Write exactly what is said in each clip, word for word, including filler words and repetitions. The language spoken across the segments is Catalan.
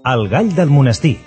El gall del monestir.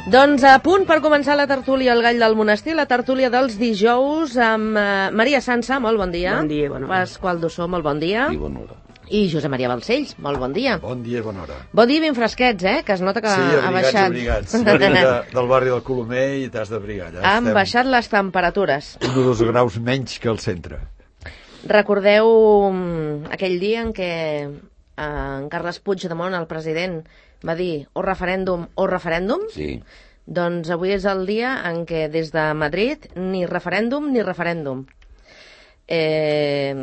Doncs a punt per començar la tertúlia El gall del monestir, la tertúlia dels dijous amb uh, Maria Sansa, molt bon dia. Bon dia, bona hora. Pasqual Dussó, molt bon dia. I bona hora. I Josep Maria Balcells, molt bon dia. Bon dia i bona hora. Bon dia ben fresquets, eh? Que es nota que sí, ha baixat. Sí, abrigats, abrigats. Venim de, del barri del Colomer i t'has d'abrigar. Ja Han estem... baixat les temperatures. Un o dos graus menys que al centre. Recordeu aquell dia en què eh, en Carles Puigdemont, el president, va dir o referèndum o referèndum? Sí. Doncs avui és el dia en què des de Madrid ni referèndum ni referèndum. Eh,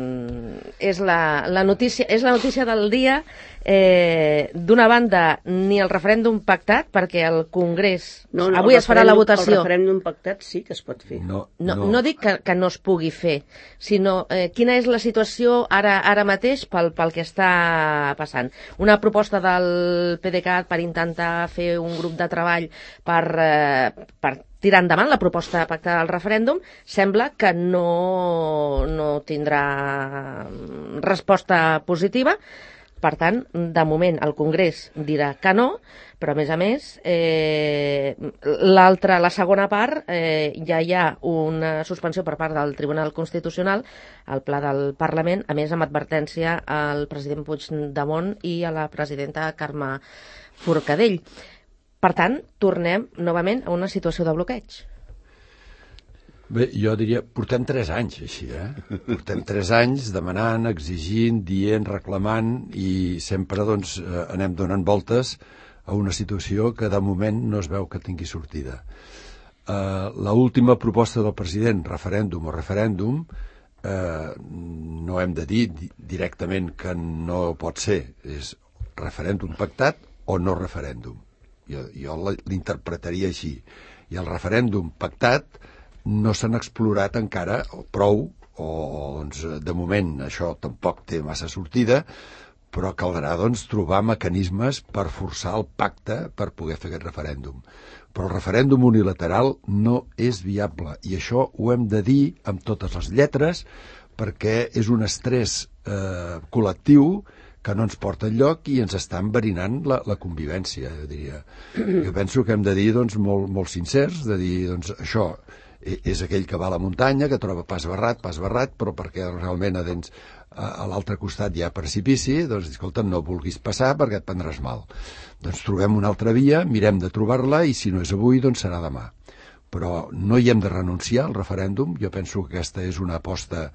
és, la, la notícia, és la notícia del dia. Eh, d'una banda, ni el referèndum pactat, perquè el Congrés... No, no, avui es farà la votació. El referèndum pactat sí que es pot fer. No, no, no. no dic que, que no es pugui fer, sinó eh, quina és la situació ara ara mateix pel, pel que està passant. Una proposta del PDeCAT per intentar fer un grup de treball per... Eh, per tirar endavant la proposta pactada del referèndum, sembla que no, no tindrà resposta positiva. Per tant, de moment el Congrés dirà que no, però a més a més, eh, l'altra, la segona part, eh, ja hi ha una suspensió per part del Tribunal Constitucional al pla del Parlament, a més amb advertència al president Puigdemont i a la presidenta Carme Forcadell. Per tant, tornem novament a una situació de bloqueig. Bé, jo diria, portem tres anys així, eh? Portem tres anys demanant, exigint, dient, reclamant i sempre doncs anem donant voltes a una situació que de moment no es veu que tingui sortida. Uh, l'última proposta del president, referèndum o referèndum, uh, no hem de dir directament que no pot ser, és referèndum pactat o no referèndum. Jo, jo l'interpretaria així. I el referèndum pactat no s'han explorat encara prou, o doncs, de moment això tampoc té massa sortida, però caldrà doncs, trobar mecanismes per forçar el pacte per poder fer aquest referèndum. Però el referèndum unilateral no és viable, i això ho hem de dir amb totes les lletres, perquè és un estrès eh, col·lectiu que no ens porta enlloc i ens està enverinant la, la convivència, jo diria. Jo penso que hem de dir doncs, molt, molt sincers, de dir, doncs, això és aquell que va a la muntanya, que troba pas barrat, pas barrat, però perquè realment a, dins, a, a l'altre costat hi ha precipici, doncs, escolta, no vulguis passar perquè et prendràs mal. Doncs trobem una altra via, mirem de trobar-la, i si no és avui, doncs serà demà. Però no hi hem de renunciar al referèndum. Jo penso que aquesta és una aposta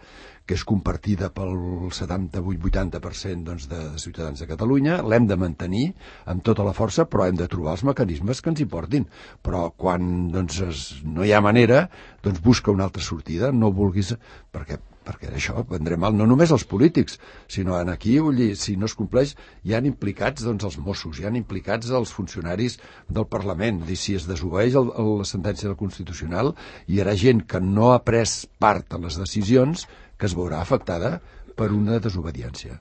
que és compartida pel setanta-vuit vuitanta per cent doncs, de, de ciutadans de Catalunya. L'hem de mantenir amb tota la força, però hem de trobar els mecanismes que ens hi portin. Però quan doncs, es, no hi ha manera, doncs busca una altra sortida. No vulguis... Perquè, perquè això prendré mal no només els polítics, sinó en aquí, si no es compleix, hi han implicats doncs, els Mossos, hi han implicats els funcionaris del Parlament. I si es desobeeix el, el, la sentència del Constitucional, hi haurà gent que no ha pres part en les decisions que es veurà afectada per una desobediència.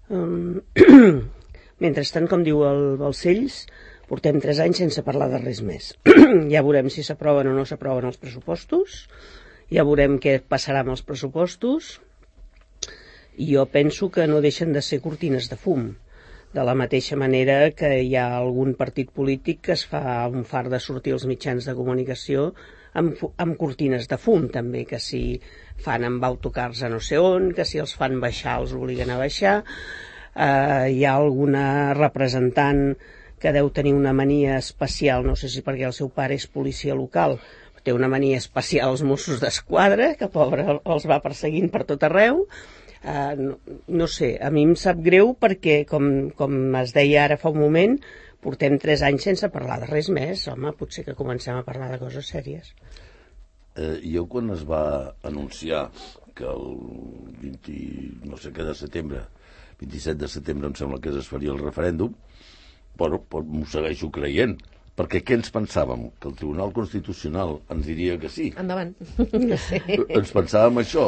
Um, mentrestant, com diu el Balcells, portem tres anys sense parlar de res més. Ja veurem si s'aproven o no s'aproven els pressupostos, ja veurem què passarà amb els pressupostos, i jo penso que no deixen de ser cortines de fum. De la mateixa manera que hi ha algun partit polític que es fa un far de sortir als mitjans de comunicació amb, amb cortines de fum, també, que si fan amb autocars a no sé on, que si els fan baixar els obliguen a baixar. Eh, hi ha alguna representant que deu tenir una mania especial, no sé si perquè el seu pare és policia local, té una mania especial als Mossos d'Esquadra, que pobre els va perseguint per tot arreu. Uh, no, no sé, a mi em sap greu perquè, com, com es deia ara fa un moment, portem tres anys sense parlar de res més. Home, potser que comencem a parlar de coses sèries. Eh, jo quan es va anunciar que el vint, no sé què de setembre, vint-i-set de setembre em sembla que es faria el referèndum, bueno, m'ho segueixo creient, perquè què ens pensàvem? Que el Tribunal Constitucional ens diria que sí. Endavant. Sí. Ens pensàvem això.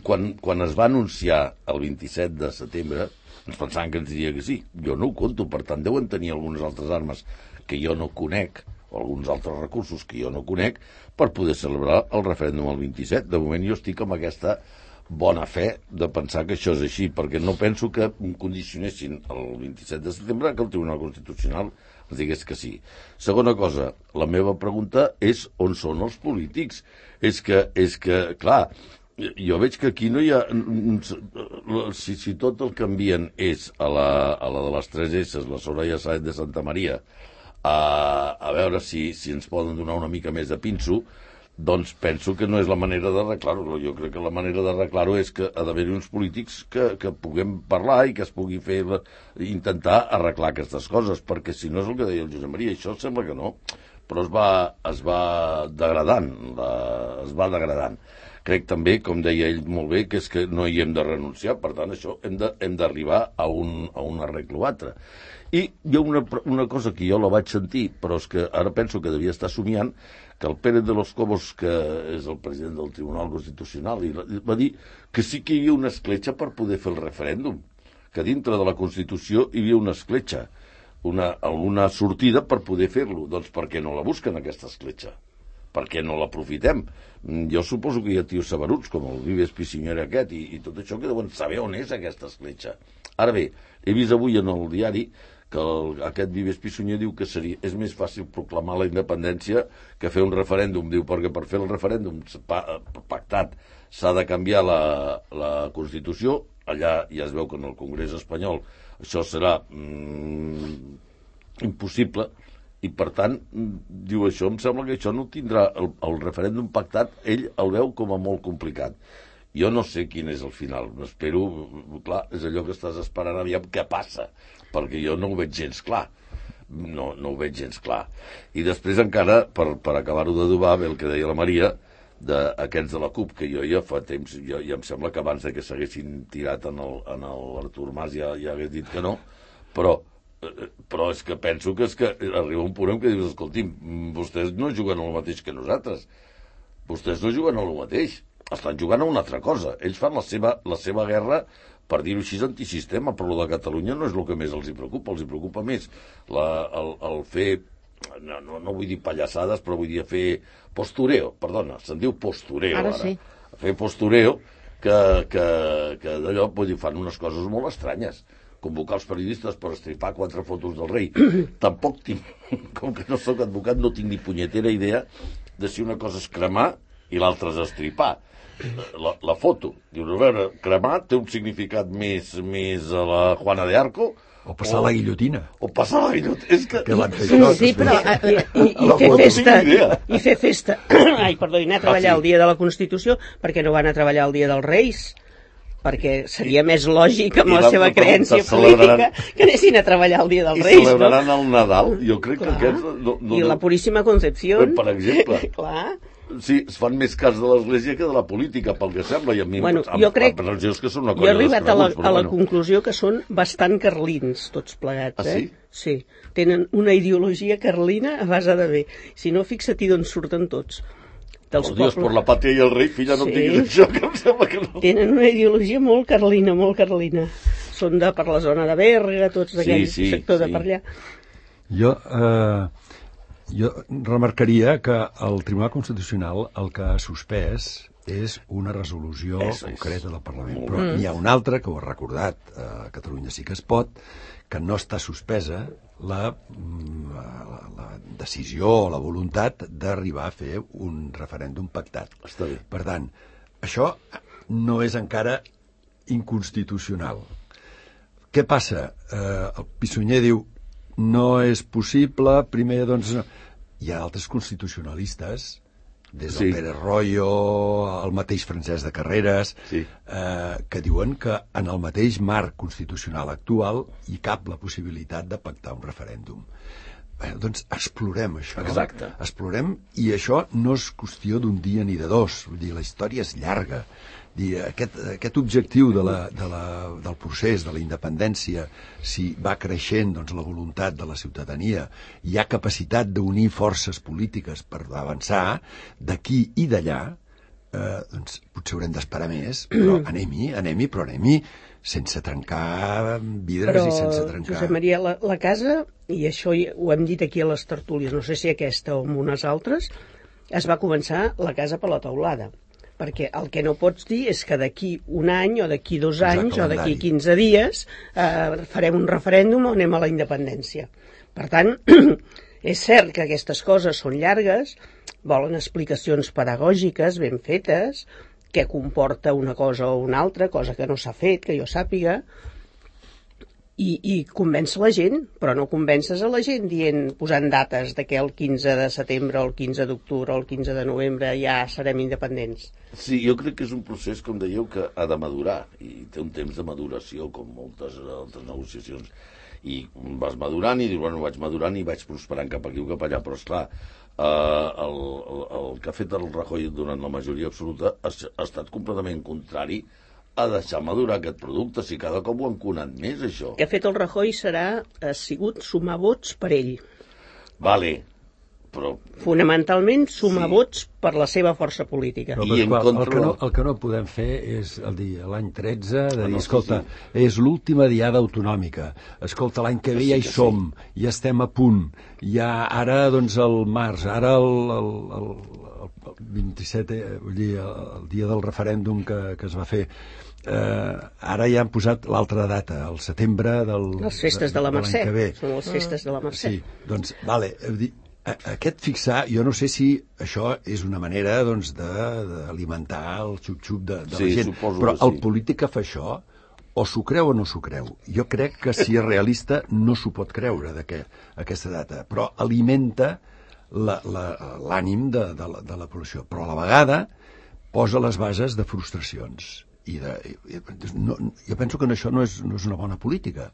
Quan, quan es va anunciar el vint-i-set de setembre, ens pensàvem que ens diria que sí. Jo no ho conto, per tant deuen tenir algunes altres armes que jo no conec, o alguns altres recursos que jo no conec, per poder celebrar el referèndum el vint-i-set. De moment jo estic amb aquesta bona fe de pensar que això és així, perquè no penso que condicionessin el vint-i-set de setembre que el Tribunal Constitucional ens digués que sí. Segona cosa, la meva pregunta és on són els polítics. És que, és que clar, jo veig que aquí no hi ha... Si, si tot el que envien és a la, a la de les tres S, la Soraya Sáenz de Santa Maria, a, a veure si, si ens poden donar una mica més de pinso, doncs penso que no és la manera d'arreglar-ho. Jo crec que la manera d'arreglar-ho és que ha d'haver-hi uns polítics que, que puguem parlar i que es pugui fer, intentar arreglar aquestes coses, perquè si no és el que deia el Josep Maria, això sembla que no, però es va, es va degradant, la, es va degradant. Crec també, com deia ell molt bé, que és que no hi hem de renunciar, per tant, això hem de, hem d'arribar a un, a un arregle o altre. I hi ha una, una cosa que jo la vaig sentir, però és que ara penso que devia estar somiant, que el Pérez de los Cobos, que és el president del Tribunal Constitucional, va dir que sí que hi havia una escletxa per poder fer el referèndum, que dintre de la Constitució hi havia una escletxa, una, alguna sortida per poder fer-lo. Doncs per què no la busquen, aquesta escletxa? Per què no l'aprofitem? Jo suposo que hi ha tios saberuts, com el Vives Piscinyera aquest, i, i tot això, que deuen saber on és aquesta escletxa. Ara bé, he vist avui en el diari que el, aquest Vives Pissunyer diu que seria, és més fàcil proclamar la independència que fer un referèndum. Diu, perquè per fer el referèndum pactat s'ha de canviar la, la Constitució. Allà ja es veu que en el Congrés espanyol això serà mm, impossible, i per tant, diu això, em sembla que això no tindrà, el, el referèndum pactat, ell el veu com a molt complicat. Jo no sé quin és el final, espero, clar, és allò que estàs esperant aviam què passa, perquè jo no ho veig gens clar, no, no ho veig gens clar. I després encara, per, per acabar-ho d'adobar, bé el que deia la Maria, d'aquests de la CUP, que jo ja fa temps, jo, ja em sembla que abans de que s'haguessin tirat en l'Artur Mas ja, ja hagués dit que no, però, però és que penso que, és que arriba un punt en què dius, escolti'm, vostès no juguen el mateix que nosaltres, vostès no juguen el mateix, estan jugant a una altra cosa. Ells fan la seva, la seva guerra, per dir-ho així, antisistema, però el de Catalunya no és el que més els hi preocupa. Els hi preocupa més la, el, el fer, no, no, no vull dir pallassades, però vull dir fer postureo, perdona, se'n diu postureo ara. Ara sí. Fer postureo, que, que, que d'allò, vull dir, fan unes coses molt estranyes. Convocar els periodistes per estripar quatre fotos del rei. Tampoc tinc, com que no sóc advocat, no tinc ni punyetera idea de si una cosa és cremar i l'altra és estripar. La, la foto, diu, a veure, cremar té un significat més, més a la Juana de Arco, o passar o, la guillotina o passar la guillotina, és que, que van fer sí, això, sí, però i, i, i fer festa i fer festa ai, perdó, i anar a treballar ah, sí. el dia de la Constitució, perquè no van a treballar el dia dels Reis, perquè seria més lògic amb la, la seva creença política que anessin a treballar el dia dels Reis, i celebraran no? el Nadal, jo crec clar. Que aquests no, no, i la Puríssima Concepción, per exemple. Clar. Sí, es fan més cas de l'Església que de la política, pel que sembla, i a mi bueno, amb, jo crec, amb religiós que són una cosa jo he arribat a la, a la bueno. conclusió que són bastant carlins, tots plegats. Ah, sí? Eh? Sí, tenen una ideologia carlina a base de bé. Si no, fixa-t'hi d'on surten tots. Dels oh, Dios, por la patria i el rei, filla, no sí. em diguis això, que em sembla que no. Tenen una ideologia molt carlina, molt carlina. Són de per la zona de Berga, tots d'aquell sí, sí, sector sí. de per allà. Jo... Eh... Jo remarcaria que el Tribunal Constitucional el que ha suspès és una resolució és, concreta del Parlament. Però n'hi ha una altra, que ho ha recordat, a Catalunya sí que es pot, que no està suspesa la, la, la decisió o la voluntat d'arribar a fer un referèndum pactat. Està bé. Per tant, això no és encara inconstitucional. Què passa? Eh, el Pissunyer diu no és possible, primer, doncs... Hi ha altres constitucionalistes des del Sí. Pérez Royo, el mateix Francesc de Carreras, Sí. eh, que diuen que en el mateix marc constitucional actual hi cap la possibilitat de pactar un referèndum. Bé, doncs explorem això. Exacte. Explorem, i això no és qüestió d'un dia ni de dos. Vull dir, la història és llarga. Dir, aquest, aquest objectiu de la, de la, del procés, de la independència, si va creixent doncs, la voluntat de la ciutadania, hi ha capacitat d'unir forces polítiques per avançar d'aquí i d'allà, eh, doncs potser haurem d'esperar més, però anem-hi, anem-hi, però anem-hi sense trencar vidres Però, i sense trencar... Josep Maria, la, la casa, i això hi- ho hem dit aquí a les tertúlies, no sé si aquesta o en unes altres, es va començar la casa per la teulada. Perquè el que no pots dir és que d'aquí un any o d'aquí dos Exacte, anys o d'aquí calendari. quinze dies eh, farem un referèndum o anem a la independència. Per tant, és cert que aquestes coses són llargues, volen explicacions pedagògiques ben fetes, què comporta una cosa o una altra, cosa que no s'ha fet, que jo sàpiga, i, i convèncer la gent, però no convences a la gent dient, posant dates de que el quinze de setembre, o el quinze d'octubre, o el quinze de novembre ja serem independents. Sí, jo crec que és un procés, com dèieu, que ha de madurar, i té un temps de maduració, com moltes altres negociacions, i vas madurant i dius, bueno, vaig madurant i vaig prosperant cap aquí o cap allà, però esclar, eh, el, el, el que ha fet el Rajoy durant la majoria absoluta ha, ha estat completament contrari a deixar madurar aquest producte, si cada cop ho han conat més, això. El que ha fet el Rajoy serà, ha sigut sumar vots per ell. Vale, però... Fonamentalment sumar Sí. vots per la seva força política. Però, I en Pasqual, contra el, que no, del- el que no podem fer és el dia, l'any tretze, de Ah, dir, no, sí, escolta, sí. és l'última diada autonòmica, escolta, l'any que ve Sí, ja hi que sí. som, ja estem a punt, ja ara, doncs, el març, ara el, el, el, el vint-i-set, eh, vull dir, el, el dia del referèndum que, que es va fer, eh, ara ja han posat l'altra data, el setembre del... Les festes de la l'any Mercè, que ve. són les festes de la Mercè. Sí, doncs, vale, heu dit, a- aquest fixar, jo no sé si això és una manera doncs, de- d'alimentar el xup-xup de, de Sí, la gent, suposo però que el sí. polític que fa això o s'ho creu o no s'ho creu. Jo crec que si és realista no s'ho pot creure de que, aquesta data, però alimenta la- la- l'ànim de, de, la, de la població, però a la vegada posa les bases de frustracions. I de, i, no, jo penso que això no és, no és una bona política.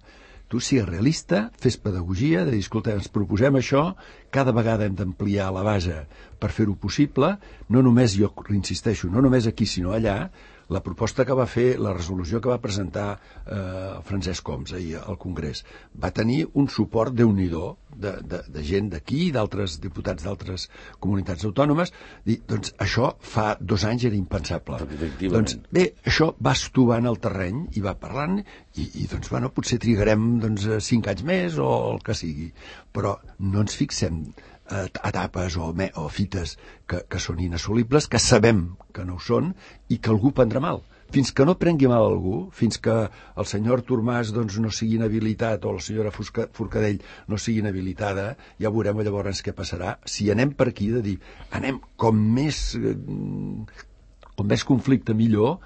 Tu sigues realista, fes pedagogia, de dir, escolta, ens proposem això, cada vegada hem d'ampliar la base per fer-ho possible, no només, jo insisteixo, no només aquí, sinó allà. La proposta que va fer, la resolució que va presentar eh, Francesc Homs ahir al Congrés, va tenir un suport déu-n'hi-do de, de, de gent d'aquí i d'altres diputats d'altres comunitats autònomes. Dir, doncs això fa dos anys era impensable. Efectivament. Doncs bé, això va estovant el terreny i va parlant i, i doncs, bueno, potser trigarem doncs, cinc anys més o el que sigui, però no ens fixem eh, etapes o, me, o fites que, que són inassolibles, que sabem que no ho són i que algú prendrà mal. Fins que no prengui mal a algú, fins que el senyor Artur Mas doncs, no sigui inhabilitat o la senyora Fusca, Forcadell no sigui inhabilitada, ja veurem llavors què passarà. Si anem per aquí de dir, anem com més, eh, com més conflicte millor,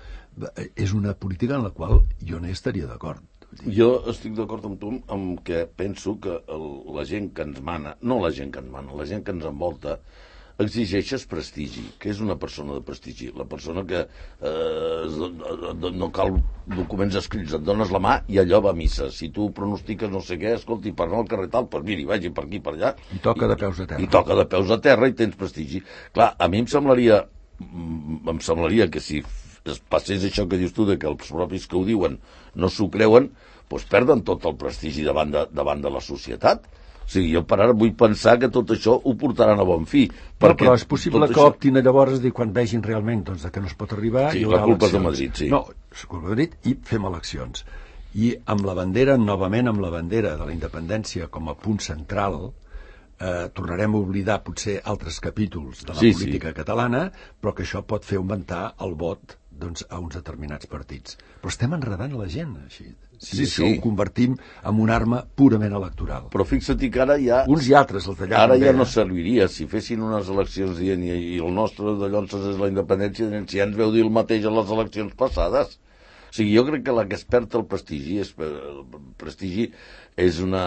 eh, és una política en la qual jo no hi estaria d'acord. Jo estic d'acord amb tu amb que penso que el, la gent que ens mana, no la gent que ens mana, la gent que ens envolta, exigeixes prestigi. Què és una persona de prestigi? La persona que eh, no cal documents escrits, et dones la mà i allò va a missa. Si tu pronostiques no sé què, escolti, per anar al carrer tal, doncs miri, vagi per aquí, per allà. I toca de peus a terra. I toca de peus a terra i tens prestigi. Clar, a mi em semblaria, em semblaria que si es passés això que dius tu, de que els propis que ho diuen no s'ho creuen, doncs perden tot el prestigi davant de, davant de la societat. O sigui, jo per ara vull pensar que tot això ho portaran a bon fi. No, però és possible que això... optin llavors dir, quan vegin realment doncs, que no es pot arribar... Sí, hi haurà la culpa és de eleccions. Madrid, sí. No, és culpa de Madrid i fem eleccions. I amb la bandera, novament amb la bandera de la independència com a punt central, eh, tornarem a oblidar potser altres capítols de la Sí, política sí. catalana, però que això pot fer augmentar el vot doncs, a uns determinats partits. Però estem enredant la gent, així. Si Sí, això sí. ho convertim en una arma purament electoral. Però fixa't que ara ja... Uns i altres, els d'allà Ara també, ja no eh? serviria. Si fessin unes eleccions dient i, i el nostre de Llonses és la independència, si ja ens veu dir el mateix a les eleccions passades. O sigui, jo crec que la que es perd el prestigi és, el prestigi és una,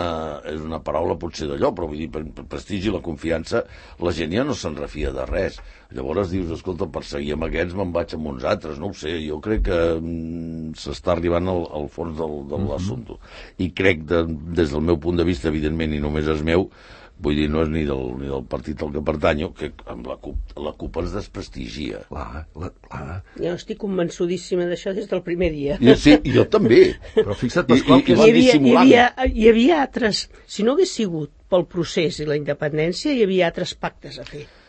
és una paraula potser d'allò, però vull dir, per, per prestigi, la confiança, la gent ja no se'n refia de res. Llavors dius, escolta, per seguir amb aquests me'n vaig amb uns altres, no ho sé, jo crec que mm, s'està arribant al, al fons del, de l'assumpte. I crec, de, des del meu punt de vista, evidentment, i només és meu, vull dir, no és ni del, ni del partit al que pertanyo, que amb la CUP, la CUP ens desprestigia. Clar, la, clar. Jo estic convençudíssima d'això des del primer dia. I, sí, jo també. Però fixa't, Pasqual, I, que i, Hi i havia, hi, havia, dissimulant. hi havia altres... Si no hagués sigut pel procés i la independència, hi havia altres pactes a fer. Sí,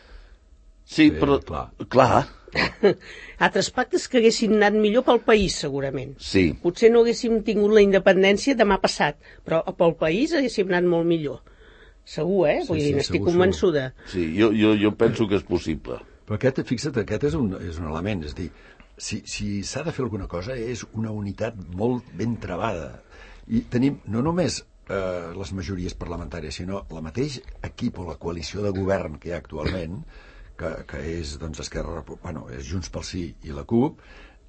Sí, però, clar. clar, Altres pactes que haguessin anat millor pel país, segurament. sí. Potser no haguéssim tingut la independència demà passat, però pel país haguéssim anat molt millor. Segur, eh? Vull Sí, dir, sí, n'estic segur, convençuda. Sí, jo, jo, jo penso que és possible. Però aquest, fixa't, aquest és un, és un element, és a dir, si, si s'ha de fer alguna cosa és una unitat molt ben trebada. I tenim no només eh, les majories parlamentàries, sinó la mateix equip o la coalició de govern que hi ha actualment, que, que és, doncs, Esquerra, bueno, és Junts pel Sí i la CUP,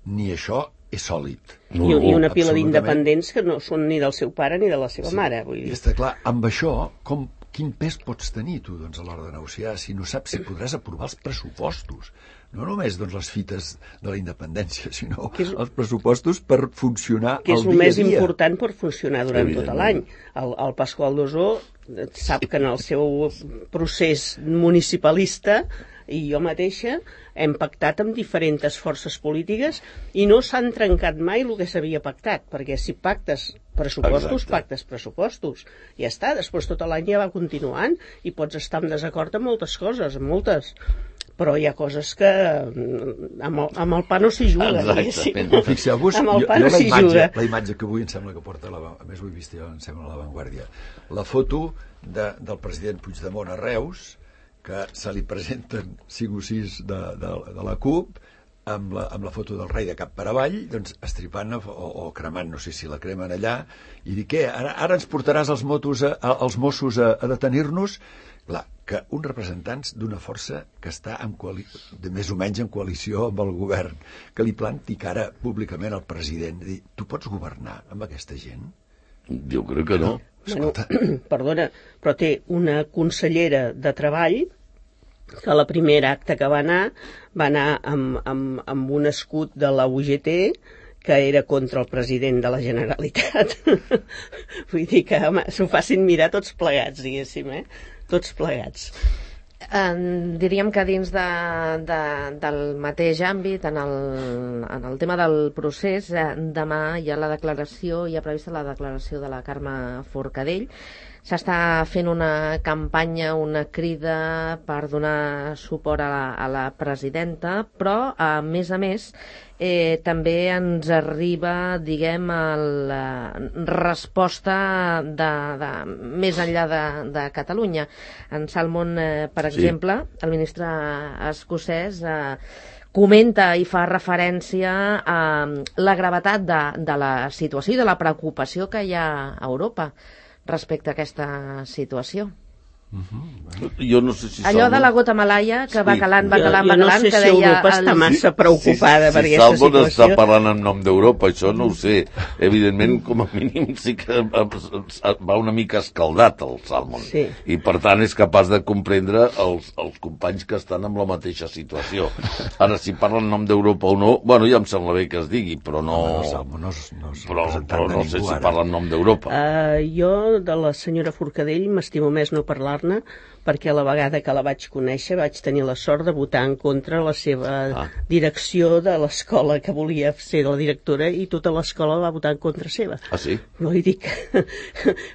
ni això és sòlid. I, I una pila Absolutament. d'independents que no són ni del seu pare ni de la seva Sí, mare. Vull I dir. està clar, amb això, com, quin pes pots tenir tu doncs, a l'hora de negociar si no saps si podràs aprovar els pressupostos? No només doncs, les fites de la independència, sinó Que és- els pressupostos per funcionar Que és el el dia més a dia. important per funcionar durant tot l'any. El, el Pasqual Dosó sap que en el seu procés municipalista i jo mateixa hem pactat amb diferents forces polítiques i no s'han trencat mai el que s'havia pactat, perquè si pactes pressupostos, Exacte. pactes pressupostos. Ja està, després tot l'any ja va continuant i pots estar en desacord amb moltes coses, amb moltes. Però hi ha coses que mm, amb el, amb el pa no s'hi juga. diguéssim. Exactament. Fixeu-vos, Amb jo, el pa jo no la, s'hi imatge, juga. la imatge que avui em sembla que porta, la, a més ho he vist jo, em sembla, a l'avantguàrdia, la foto de, del president Puigdemont a Reus, que se li presenten cinc o sis de, de, de la CUP, amb la, amb la foto del rei de cap per avall, doncs estripant o, o cremant, no sé si la cremen allà, i dir, què, ara, ara ens portaràs els, motos a, a, els Mossos a, a detenir-nos? Clar, que uns representants d'una força que està en coali... de més o menys en coalició amb el govern, que li planti cara públicament al president, dir, tu pots governar amb aquesta gent? Jo crec que no. Bueno, Escolta, perdona, però té una consellera de Treball que la primera acte que va anar va anar amb, amb, amb un escut de la U G T que era contra el president de la Generalitat. Vull dir que home, s'ho facin mirar tots plegats, diguéssim, eh? Tots plegats. Eh, diríem que dins de, de, del mateix àmbit, en el, en el tema del procés, eh, demà hi ha la declaració, hi ha prevista la declaració de la Carme Forcadell. S'està fent una campanya, una crida per donar suport a la, a la presidenta, però, a més a més, eh, també ens arriba, diguem, la resposta de, de, més enllà de, de Catalunya. En Salmon, eh, per Sí. exemple, el ministre escocès eh, comenta i fa referència a la gravetat de, de la situació i de la preocupació que hi ha a Europa respecte a aquesta situació. Jo no sé si Allò Salmon- de la gota malaia, que va Sí. calant, va Jo, calant, jo va no calant, sé que si deia... Europa està el- massa preocupada per si aquesta Salmon situació. està parlant en nom d'Europa, això no ho sé. Evidentment, com a mínim, sí que va una mica escaldat el Salmon. Sí. I, per tant, és capaç de comprendre els, els companys que estan en la mateixa situació. Ara, si parla en nom d'Europa o no, bueno, ja em sembla bé que es digui, però no... no, Salmo, no, és- no és Però, representant però de no sé ningú, si ara. parla en nom d'Europa. Uh, jo, de la senyora Forcadell, m'estimo més no parlar-ne, perquè la vegada que la vaig conèixer vaig tenir la sort de votar en contra la seva Ah. direcció de l'escola que volia ser la directora i tota l'escola va votar en contra seva. Ah, sí? Vull dir que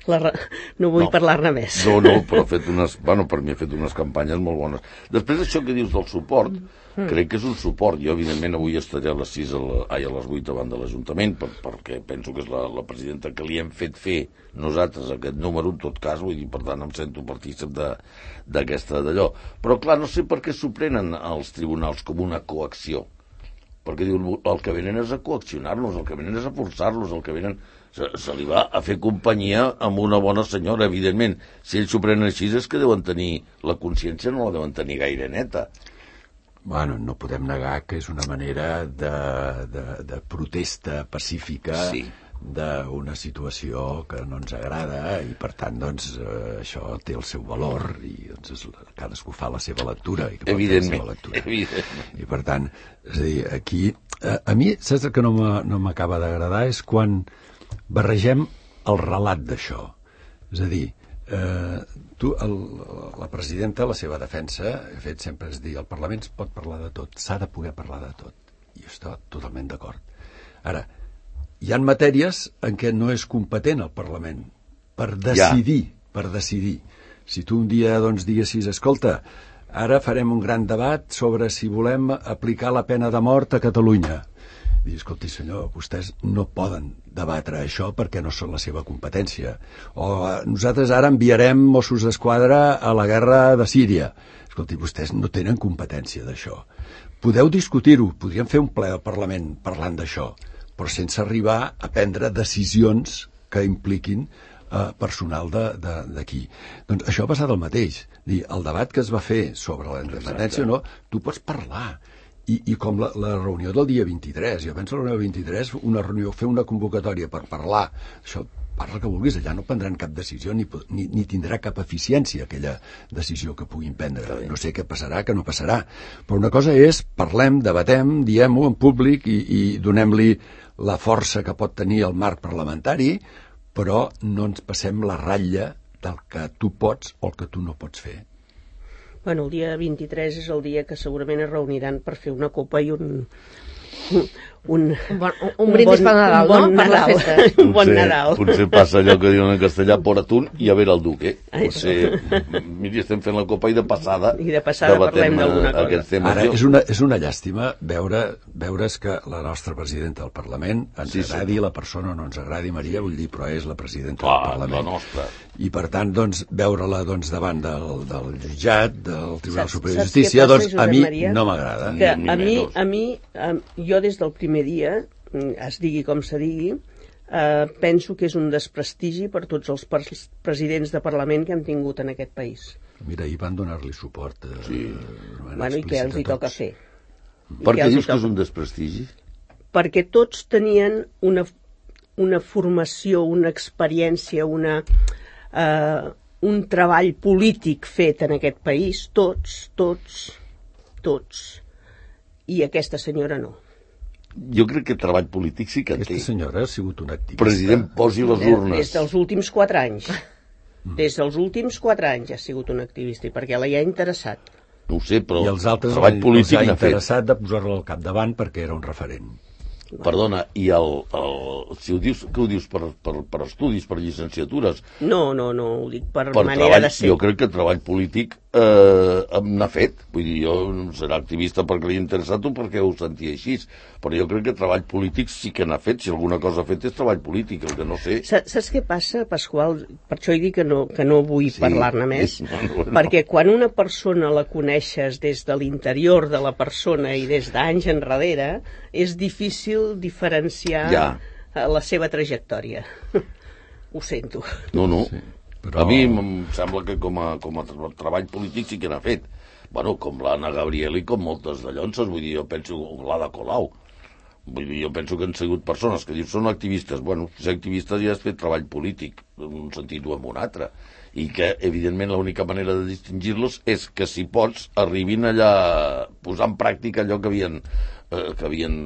la, re- no vull No. parlar-ne més. No, no, però ha fet unes... Bueno, per mi ha fet unes campanyes molt bones. Després d'això que dius del suport, mm. crec que és un suport. Jo, evidentment, avui estaré a les sis, a, la, ai, a les vuit davant de l'Ajuntament, per, perquè penso que és la, la presidenta que li hem fet fer nosaltres aquest número, en tot cas, vull dir, per tant, em sento partícip de- d'aquesta d'allò. Però, clar, no sé per què s'ho prenen els tribunals com una coacció. Perquè diuen, el que venen és a coaccionar-los, el que venen és a forçar-los, el que venen... Se, se li va a fer companyia amb una bona senyora, evidentment. Si ells s'ho prenen així és que deuen tenir... La consciència no la deuen tenir gaire neta. Bueno, no podem negar que és una manera de, de, de protesta pacífica sí. d'una situació que no ens agrada i, per tant, doncs, eh, això té el seu valor i doncs, és, cadascú fa la seva lectura i que pot fer la seva lectura. Evidentment. I, per tant, és a dir, aquí... A, a mi, saps el que no m'acaba d'agradar? És quan barregem el relat d'això. És a dir, Eh, tu, el, la presidenta, la seva defensa, he fet sempre és dir, el Parlament es pot parlar de tot, s'ha de poder parlar de tot, i jo estic totalment d'acord. Ara, hi ha matèries en què no és competent el Parlament per decidir, ja. per decidir. Si tu un dia doncs, diguessis, escolta, ara farem un gran debat sobre si volem aplicar la pena de mort a Catalunya. Dius, escolti, senyor, vostès no poden debatre això perquè no són la seva competència. O nosaltres ara enviarem Mossos d'Esquadra a la guerra de Síria. Escolti, vostès no tenen competència d'això. Podeu discutir-ho, podríem fer un ple al Parlament parlant d'això, però sense arribar a prendre decisions que impliquin eh, personal d'aquí. Doncs això ha passat el mateix. Dir, el debat que es va fer sobre la independència, no, tu pots parlar. I, i com la, la reunió del dia vint-i-tres, jo penso la reunió del vint-i-tres, una reunió, fer una convocatòria per parlar, això, parla que vulguis, allà no prendran cap decisió ni, ni, ni tindrà cap eficiència aquella decisió que puguin prendre. No sé què passarà, què no passarà. Però una cosa és, parlem, debatem, diem-ho en públic i, i donem-li la força que pot tenir el marc parlamentari, però no ens passem la ratlla del que tu pots o el que tu no pots fer. Bueno, el dia vint-i-tres és el dia que segurament es reuniran per fer una copa i un... un, un, bon, un, un brindis bon, per Nadal, bon no? Nadal. Per la festa. Un bon Nadal. Potser passa allò que diuen en castellà, por atún i a ver el duque. Potser, miri, estem fent la copa i de passada... I de passada parlem d'alguna cosa. Ara, és una, és una llàstima veure, veure's que la nostra presidenta del Parlament, ens sí, agradi sí. la persona o no ens agradi, Maria, vull dir, però és la presidenta Clar, del Parlament. La nostra. I, per tant, doncs, veure-la doncs, davant del, del jutjat, del Tribunal Superior de Justícia, doncs, a mi Maria? no m'agrada. Que a mi, a mi, a, jo des del primer dia, es digui com se digui, eh, penso que és un desprestigi per tots els presidents de Parlament que hem tingut en aquest país. Mira, ahir van donar-li suport. Eh, sí. Bueno, i què els hi toca fer? Per què dius que és un desprestigi? Perquè tots tenien una, una formació, una experiència, una, eh, un treball polític fet en aquest país, tots, tots, tots. I aquesta senyora no. Jo crec que treball polític sí que en té. Aquesta senyora ha sigut una activista. President, posi les urnes. Des dels últims quatre anys. Des dels últims quatre anys ha sigut un activista, i perquè la hi ha interessat. No ho sé, però I els altres treball polític els ha n'ha fet. interessat de posar-la al capdavant perquè era un referent. Perdona, i el, el, si ho dius, que ho dius per, per, per estudis, per llicenciatures? No, no, no, ho dic per, per manera treball, de ser. Jo crec que treball polític eh, n'ha fet. Vull dir, jo serà activista perquè li ha interessat o perquè ho sentia així. Però jo crec que treball polític sí que n'ha fet. Si alguna cosa ha fet és treball polític, el que no sé... Saps què passa, Pasqual? Per això he dit que no, que no vull sí, parlar-ne més. Bueno, bueno. Perquè quan una persona la coneixes des de l'interior de la persona i des d'anys enrere, és difícil diferenciar ja. la seva trajectòria. Ho sento. No, no. Sí, però... A mi em sembla que com a, com a treball polític sí que n'ha fet. Bueno, com l'Anna Gabriel i com moltes de llonses, vull dir, jo penso l'Ada Colau. Vull dir, jo penso que han sigut persones que dius són activistes. Bueno, ser activistes ja has fet treball polític, en un sentit o en un altre. I que, evidentment, l'única manera de distingir-los és que, si pots, arribin allà a posar en pràctica allò que havien, eh, que havien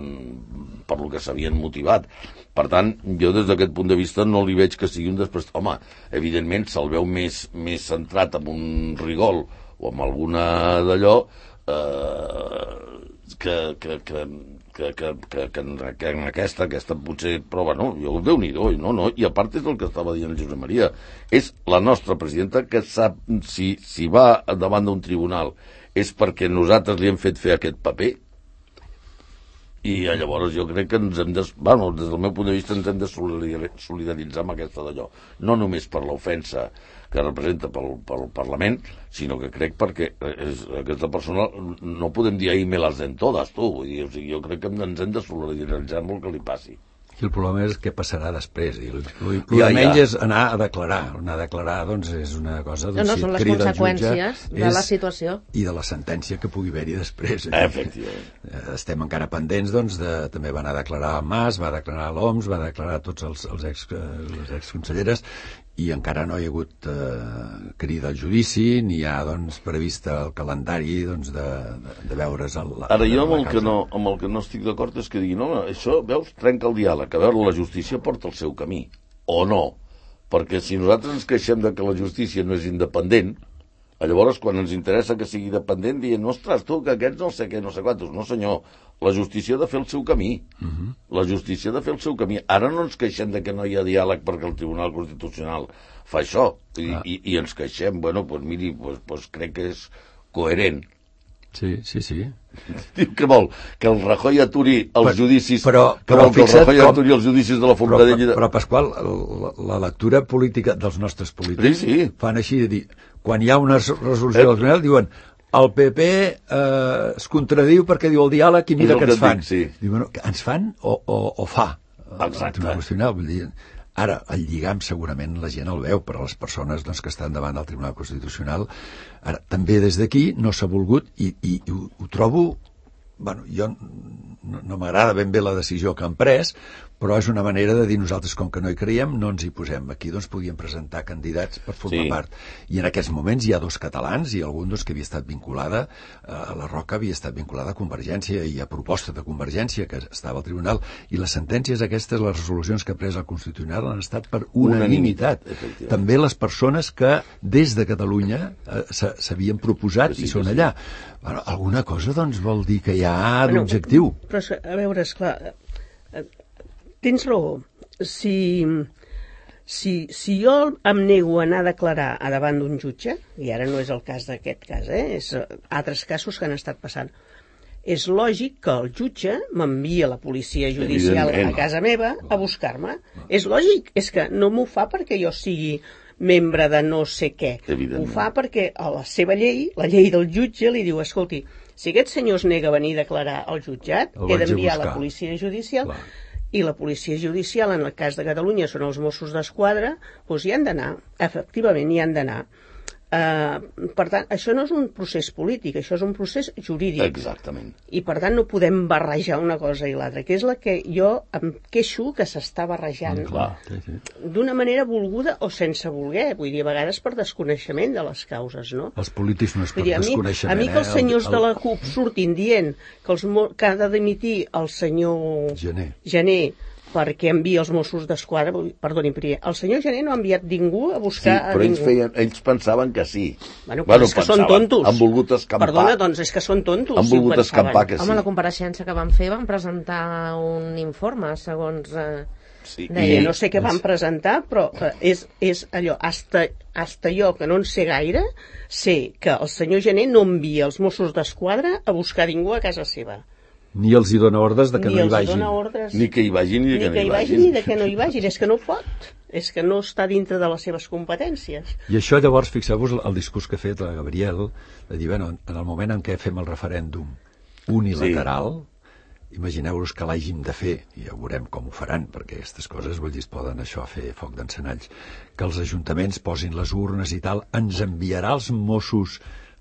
per lo que s'havien motivat. Per tant, jo des d'aquest punt de vista no li veig que sigui un després... Home, evidentment, se'l veu més, més centrat en un rigol o amb alguna d'allò eh, que, que, que, que, que, que, que, en, que en aquesta, aquesta potser prova, no, jo Déu-n'hi-do, no, no, i a part és el que estava dient el Josep Maria, és la nostra presidenta que sap si, si va davant d'un tribunal és perquè nosaltres li hem fet fer aquest paper. I llavors jo crec que ens hem de... Bueno, des del meu punt de vista ens hem de solidaritzar amb aquesta d'allò. No només per l'ofensa que representa pel, pel Parlament, sinó que crec perquè és, aquesta persona no podem dir ahí me las den todas, tu. Vull dir, o sigui, jo crec que ens hem de solidaritzar amb el que li passi. I el problema és què passarà després. I el, el, el Ja, de menys ja. és anar a declarar. Anar a declarar, doncs, és una cosa... No, Doncs, no, si són et les crida el conseqüències jutge, de la és- situació. I de la sentència que pugui haver-hi després. Efectivament. Eh, Estem encara pendents, doncs, de, també va anar a declarar el Mas, va declarar l'O M S, va declarar tots els, els ex, eh, les exconselleres, i encara no hi ha hagut eh, crida al judici, ni hi ha, doncs, prevista el calendari, doncs, de, de, de veure's el, la, Ara, jo amb la el, que causa. no, amb el que no estic d'acord és que digui, no, això, veus, trenca el diàleg. A veure, la justícia porta el seu camí. O no. Perquè si nosaltres ens queixem de que la justícia no és independent, llavors, quan ens interessa que sigui dependent, dient, ostres, tu, que aquests no sé què, no sé quantos. No, senyor, la justícia ha de fer el seu camí. Uh -huh. La justícia ha de fer el seu camí. Ara no ens queixem de que no hi ha diàleg perquè el Tribunal Constitucional fa això. I, ah. i, i ens queixem, bueno, doncs miri, pues, pues crec que és coherent. Sí, sí, sí. Diu que vol que el Rajoy aturi els Però- judicis, però- que però vol que el fixa't Rajoy com- aturi els judicis de la Però, Fontradella. però, però Pasqual, la, la lectura política dels nostres polítics Sí, sí. fan així de dir, quan hi ha una resolució del tribunal, diuen el P P eh, es contradiu perquè diu el diàleg i mira És el què que ens et fan. dic, sí. Diu, bueno, que ens fan o, o, o fa el Exacte. Tribunal Constitucional. Vull dir, ara, el lligam segurament la gent el veu, però les persones doncs, que estan davant del Tribunal Constitucional, ara, també des d'aquí no s'ha volgut i, i, i ho, ho trobo, bueno, jo no, no m'agrada ben bé la decisió que han pres, però és una manera de dir nosaltres, com que no hi creiem, no ens hi posem. Aquí doncs podíem presentar candidats per formar Sí. part. I en aquests moments hi ha dos catalans i algun doncs, que havia estat vinculada, eh, la Roca havia estat vinculada a Convergència i a proposta de Convergència, que estava al tribunal, i les sentències aquestes, les resolucions que ha pres el Constitucional han estat per unanimitat. Unanimitat, També les persones que des de Catalunya eh, s'havien proposat Sí, i sí, són sí. allà. Bueno, alguna cosa doncs vol dir que hi ha Bueno, d'objectiu. Però, és que, a veure, esclar, eh, tens raó. Si, si, si jo em nego a anar a declarar a davant d'un jutge, i ara no és el cas d'aquest cas, eh, és eh, altres casos que han estat passant, és lògic que el jutge m'envia la policia judicial Evidentment. a casa meva a buscar-me. És lògic, és que no m'ho fa perquè jo sigui membre de no sé què. Evidentment. Ho fa perquè a la seva llei, la llei del jutge, li diu, escolti, si aquest senyor es nega a venir a declarar al jutjat, El he vaig a d'enviar buscar. la policia judicial, Clar. i la policia judicial, en el cas de Catalunya, són els Mossos d'Esquadra, doncs hi han d'anar, efectivament hi han d'anar. Uh, per tant, això no és un procés polític, això és un procés jurídic. Exactament. I per tant no podem barrejar una cosa i l'altra, que és la que jo em queixo que s'està barrejant Mm, clar. Sí, sí. d'una manera volguda o sense voler, vull dir, a vegades per desconeixement de les causes, no? Els polítics no és per Vull dir, a mi, desconeixement. a mi que els eh? senyors El- de la CUP surtin dient que, els, mo- que ha de dimitir el senyor Gené. Gené perquè envia els Mossos d'Esquadra, vull- perdoni, Prié, el senyor Gené no ha enviat ningú a Sí, buscar però a ells, ningú. feien, ells pensaven que sí. Bueno, però és que són pensaven. tontos. Han volgut escampar. Perdona, doncs és que són tontos. Han si ho volgut pensaven. escampar que sí. Home, la compareixença que van fer van presentar un informe, segons... Eh, Sí. Deia, I- no sé què van presentar, però eh, és, és allò, hasta, hasta jo, que no en sé gaire, sé que el senyor Gené no envia els Mossos d'Esquadra a buscar ningú a casa seva. Ni els hi dona ordres de que ni no hi els vagin. dona ordres Ni que hi vagin ni, ni que no que hi hi vagin. vagin ni de que no hi vagin. És que no pot. És que no està dintre de les seves competències. I això llavors, fixeu-vos el discurs que ha fet la Gabriel, de dir, bueno, en el moment en què fem el referèndum unilateral, sí. Imagineu-vos que l'hàgim de fer, i ja veurem com ho faran, perquè aquestes coses, vull dir, es poden això fer foc d'encenalls, que els ajuntaments posin les urnes i tal, ens enviarà els Mossos.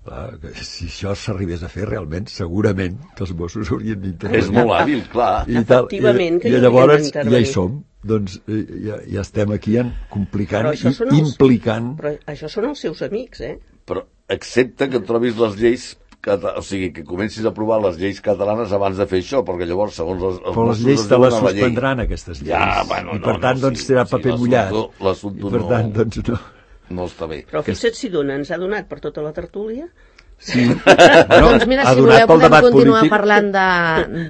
Clar, que si això s'arribés a fer realment, segurament que els Mossos haurien d'intervenir. És molt hàbil, clar. I, tal, Efectivament, que i, hi i llavors haurien ja d'intervenir. hi som. Doncs eh, ja, ja estem aquí en complicant Però això i són els- implicant. Però això són els seus amics, eh? Però excepte que trobis les lleis, cata- o sigui, que comencis a aprovar les lleis catalanes abans de fer això, perquè llavors, segons els, els Però les Mossos lleis es te les diuen a la llei. suspendran, aquestes lleis. Ja, bueno, I no, per tant, no, doncs, sí, serà sí, paper l'assumpte- mullat. l'assumpte I per no- tant, doncs, no. No està bé. Però fixa't si dona, ens ha donat per tota la tertúlia. Sí. Bueno, doncs mira, ha si donat voleu pel podem debat continuar polític. parlant de,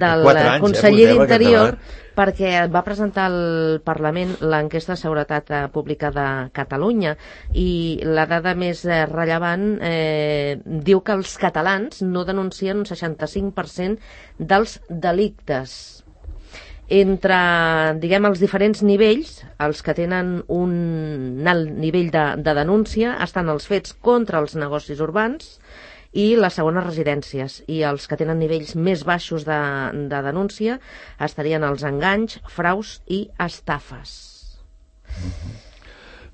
del Quatre anys, eh, conseller portem aquest d'Interior, debat. perquè va presentar al Parlament l'enquesta de seguretat eh, pública de Catalunya i la dada més eh, rellevant eh, diu que els catalans no denuncien un seixanta-cinc per cent dels delictes. Entre, diguem, els diferents nivells, els que tenen un alt nivell de, de denúncia estan els fets contra els negocis urbans i les segones residències. I els que tenen nivells més baixos de, de denúncia estarien els enganys, fraus i estafes. Mm-hmm.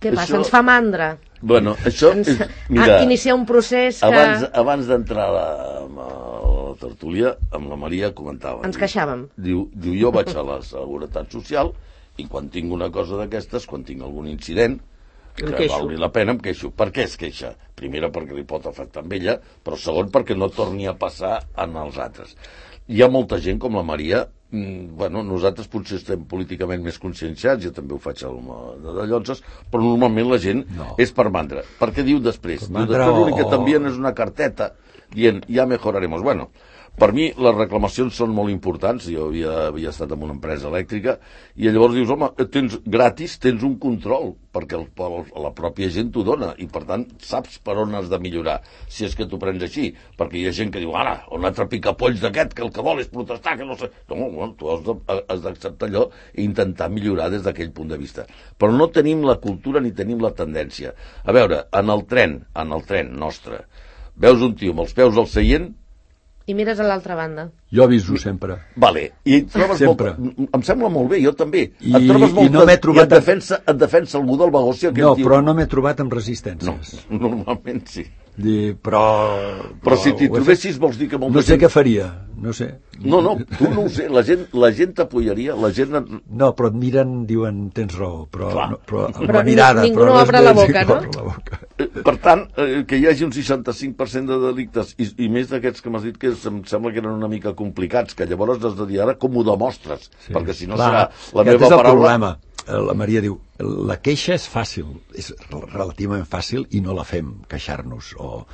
Què passa? Això... Ens fa mandra? Bueno, això Ens... és... Mira, iniciar un procés que... Abans, abans d'entrar a la, a la tertúlia, amb la Maria comentava. Ens queixàvem. Diu, diu, jo vaig a la Seguretat Social i quan tinc una cosa d'aquestes, quan tinc algun incident, que valgui la pena, em queixo. Per què es queixa? Primera, perquè li pot afectar amb ella, però segon, perquè no torni a passar en els altres. Hi ha molta gent com la Maria, mmm, bueno, nosaltres potser estem políticament més conscienciats, jo també ho faig de Dallonses, però normalment la gent no. és per mandra. Per què diu després? Diu, després l'únic que t'envien és una carteta dient, ja mejoraremos. Bueno, per mi les reclamacions són molt importants. Jo havia, havia estat en una empresa elèctrica i llavors dius, home, tens gratis, tens un control, perquè el, el, la pròpia gent t'ho dona i per tant saps per on has de millorar, si és que t'ho prens així, perquè hi ha gent que diu, ara, un altre picapolls d'aquest que el que vol és protestar, que no sé... No, no, tu has, de, has d'acceptar allò i intentar millorar des d'aquell punt de vista. Però no tenim la cultura ni tenim la tendència. A veure, en el tren, en el tren nostre, veus un tio amb els peus al seient i mires a l'altra banda. Jo aviso sempre. Vale. I et trobes sempre. Molt... Em sembla molt bé, jo també. I, et trobes molt... i no m'he trobat... I et defensa, et defensa algú del vagó si aquell no, tio... però no m'he trobat amb resistències. No, normalment sí. Dir, però... Però, però si t'hi trobessis vols dir que molta no sé gent... què faria, no sé. No, no, tu no ho sé, la gent, la gent t'apoyaria, la gent... No, però et miren, diuen, tens raó, però, no, però amb però la mirada... Ningú però no obre la boca, no? La boca. Per tant, eh, que hi hagi un seixanta-cinc per cent de delictes i, i més d'aquests que m'has dit que em sembla que eren una mica complicats, que llavors has de dir ara com ho demostres, sí. perquè si no Clar, serà la meva és el paraula... Problema. La Maria diu, la queixa és fàcil, és relativament fàcil i no la fem, queixar-nos, o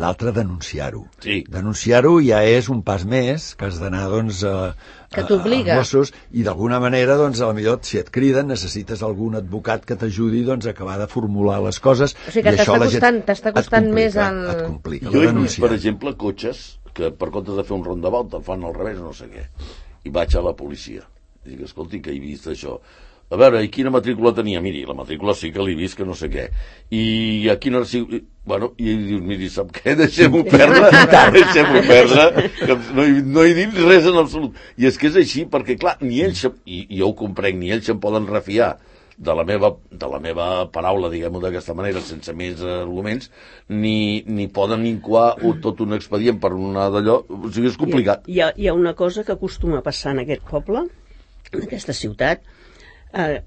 l'altre denunciar-ho. Sí. Denunciar-ho ja és un pas més que has d'anar, doncs, a, que t'obliga. als Mossos, i d'alguna manera, doncs, a la millor, si et criden, necessites algun advocat que t'ajudi, doncs, a acabar de formular les coses. O sigui que t'està costant, t'està costant més el... Et complica, jo he vist, per exemple, cotxes que per comptes de fer un rondabout el fan al revés, no sé què. I vaig a la policia. I dic, escolti, que he vist això. A veure, i quina matrícula tenia? Miri, la matrícula sí que l'he vist, que no sé què. I a quina... Bueno, i dius, miri, sap què? Deixem-ho perdre, deixem-ho perdre, que no, hi, no hi dic res en absolut. I és que és així, perquè, clar, ni ells, i, i jo ho comprenc, ni ells se'n poden refiar de la meva, de la meva paraula, diguem-ho d'aquesta manera, sense més arguments, ni, ni poden incoar tot un expedient per una d'allò. O sigui, és complicat. Hi ha, hi ha una cosa que acostuma a passar en aquest poble, en aquesta ciutat, Eh,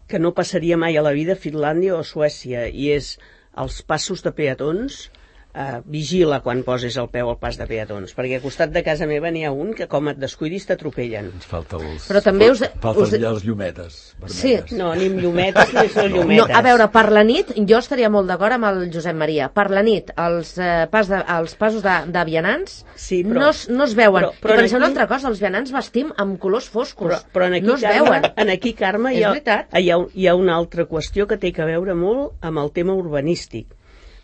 que no passaria mai a la vida a Finlàndia o a Suècia, i és els passos de peatons. Uh, vigila quan poses el peu al pas de peatons, perquè al costat de casa meva n'hi ha un que com et descuidis t'atropellen. Ens falta els... Però també us... Falten us... ja les llumetes vermelles. Sí. No, ni amb llumetes ni amb llumetes. No, a veure, per la nit, jo estaria molt d'acord amb el Josep Maria. Per la nit, els, eh, pas de, els passos de, de vianants sí, però, no, es, no es veuen. Però, però I penseu aquí... una altra cosa, els vianants vestim amb colors foscos. Però, però en aquí, no es Carme, veuen. En aquí, Carme, hi ha, hi, ha, hi ha una altra qüestió que té a veure molt amb el tema urbanístic.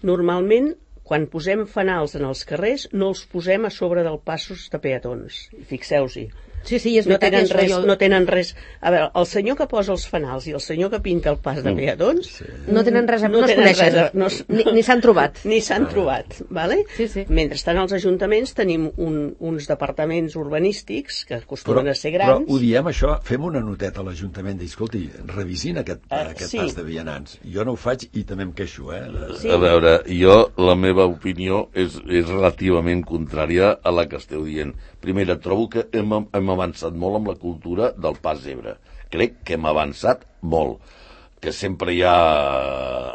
Normalment, quan posem fanals en els carrers, no els posem a sobre dels passos de peatons. Fixeu-s'hi. Sí, sí, és no veritat. Tenen res, jo... No tenen res... A veure, el senyor que posa els fanals i el senyor que pinta el pas de peatons... Sí. No tenen res a... No, no es coneixen. A... No, ni ni s'han trobat. Ni s'han ah. trobat, vale? Sí, sí. Mentrestant, als ajuntaments tenim un, uns departaments urbanístics que acostumen però, a ser grans... Però ho diem, això, fem una noteta a l'Ajuntament de, escolti, revisin aquest, uh, aquest sí. pas de vianants. Jo no ho faig i també em queixo, eh? Sí. A veure, jo, la meva opinió és, és relativament contrària a la que esteu dient. Primera, trobo que hem, hem avançat molt amb la cultura del pas zebra. Crec que hem avançat molt. Que sempre hi ha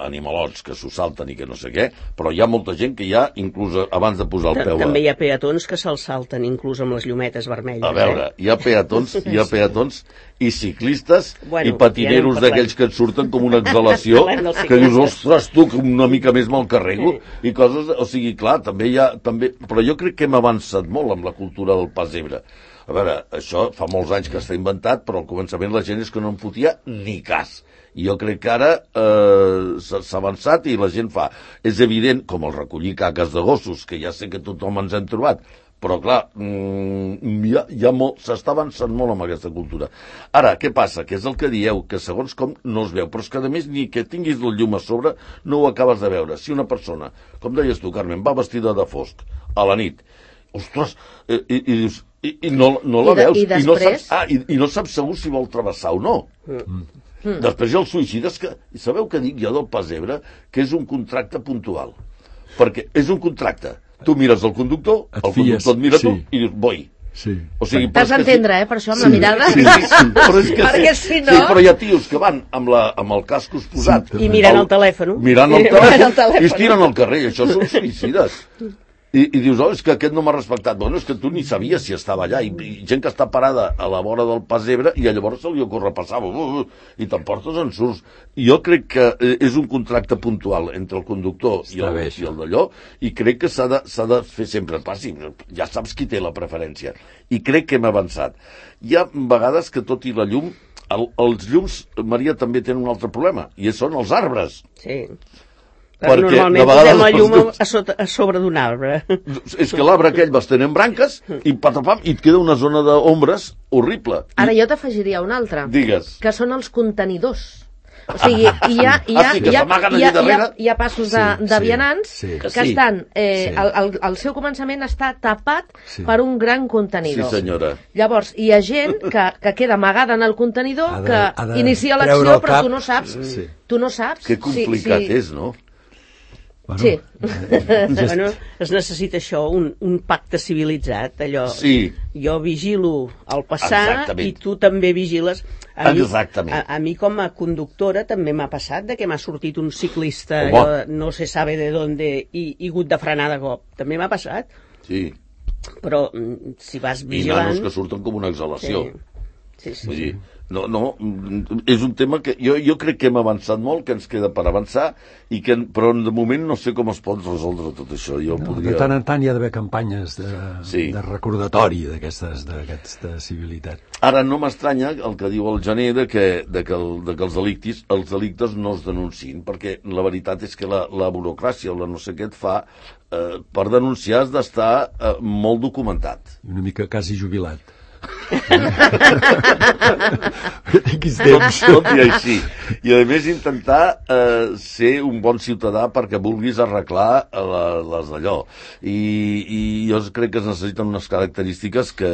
animalots que s'ho salten i que no sé què, però hi ha molta gent que ja, inclús abans de posar el peu... També hi ha peatons que se'ls salten, inclús amb les llumetes vermelles. A veure, eh? hi ha peatons, hi ha peatons i ciclistes bueno, i patineros ja d'aquells que et surten com una exhalació, que dius, ostres, tu, que una mica més me'l carrego, i coses... O sigui, clar, també hi ha... També, però jo crec que hem avançat molt amb la cultura del pas zebra. A veure, això fa molts anys que està inventat, però al començament la gent és que no en fotia ni cas. I jo crec que ara eh, s'ha avançat i la gent fa. És evident, com el recollir caques de gossos, que ja sé que tothom ens hem trobat, Però, clar, ja, ja s'està avançant molt amb aquesta cultura. Ara, què passa? Que és el que dieu, que segons com no es veu, però és que, a més, ni que tinguis el llum a sobre, no ho acabes de veure. Si una persona, com deies tu, Carmen, va vestida de fosc a la nit, ostres, i, i, i dius, i, i no, no la I de, veus, i, després... i, no saps, ah, i, i no saps segur si vol travessar o no. Mm. Mm. Després hi ha els suïcides, que sabeu què dic jo del pessebre? Que és un contracte puntual. Perquè és un contracte. Tu mires el conductor, et el fies, conductor et mira sí. tu i dius, boi. Sí. O sigui, T'has d'entendre, eh, per això, amb sí, la mirada. Sí, sí, sí. Però és que Perquè sí, si no... sí, però hi ha tios que van amb, la, amb el cascos posat. I mirant el telèfon. Mirant el I mirant telèfon, el telèfon. i es tiren al carrer. Això són suïcides. I, i dius, oh, és que aquest no m'ha respectat. Bueno, és que tu ni sabies si estava allà. I, i gent que està parada a la vora del pessebre i llavors se li ocorre passar. Uh, uh, I t'emportes en surts. Jo crec que és un contracte puntual entre el conductor i el, i el d'allò, i crec que s'ha de, s'ha de fer sempre. Clar, sí, ja saps qui té la preferència. I crec que hem avançat. Hi ha vegades que tot i la llum, el, els llums, Maria, també tenen un altre problema, i són els arbres. Sí. Perquè normalment posem la llum a, a, sota, a sobre d'un arbre. És que l'arbre aquell vas tenint branques i patapam, i et queda una zona d'ombres horrible. Ara jo t'afegiria una altra. Digues. Que són els contenidors. O sigui, hi ha, hi ha, Ah, sí, que hi ha, s'amaguen hi ha, allà darrere. hi ha, hi ha passos de, Sí, de sí, vianants sí. que Sí. estan... Eh, Sí. el, el, el seu començament està tapat Sí. per un gran Sí, contenidor. senyora. Llavors, hi ha gent que, que queda amagada en el contenidor, Ha de- que ha de inicia treure l'acció, el però cap. tu no saps. Sí. Tu no saps. Que complicat sí, sí. és, no? Bueno, Sí. Bueno, es necessita això, un, un pacte civilitzat, allò. Sí. Jo vigilo el passar Exactament. i tu també vigiles. A mi, Exactament. a, a mi com a conductora també m'ha passat de que m'ha sortit un ciclista, Home. allò, no se sabe de dónde, i, i hagut de frenar de cop. També m'ha passat, Sí. però mm, si vas I vigilant... nanos que surten com una exhalació. Sí, sí, Vull sí. dir, no, no, és un tema que jo, jo crec que hem avançat molt, que ens queda per avançar, i que, però de moment no sé com es pot resoldre tot això. Jo no, podria... de tant en tant hi ha d'haver campanyes de, Sí. de recordatori d'aquestes d'aquesta civilitat. Ara no m'estranya el que diu el Gener de que, de que, el, de que els, delictis, els delictes no es denunciïn, perquè la veritat és que la, la burocràcia o la no sé què et fa, eh, per denunciar has d'estar eh, molt documentat. Una mica quasi jubilat. Que tinguis temps. Tot, tot i així. I a més intentar eh, ser un bon ciutadà perquè vulguis arreglar la, les d'allò. I, I jo crec que es necessiten unes característiques que...